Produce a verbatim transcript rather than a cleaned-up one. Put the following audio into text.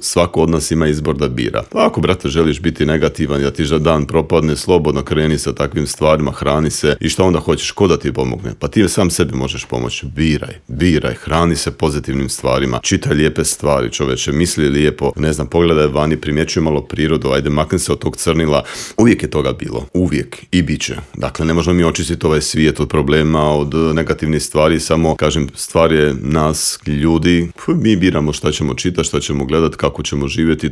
Svako od nas ima izbor da bira. Pa ako, brate, želiš biti negativan, da ti za dan propadne, slobodno kreni sa takvim stvarima, hrani se i što onda hoćeš, ko da ti pomogne? Pa ti sam sebi možeš pomoći. Biraj, biraj, hrani se pozitivnim stvarima, čitaj lijepe stvari, čoveče, misli lijepo, ne znam, pogledaj vani, primjećuj malo prirodu, ajde, makni se od tog crnila. Uvijek je toga bilo, uvijek i bit će. Dakle, ne možemo mi očistiti ovaj svijet od problema, od negativnih stvari, samo, kažem, stvar je nas, ljudi, mi biramo šta ćemo čitati, šta ćemo gledati, kako ćemo živjeti,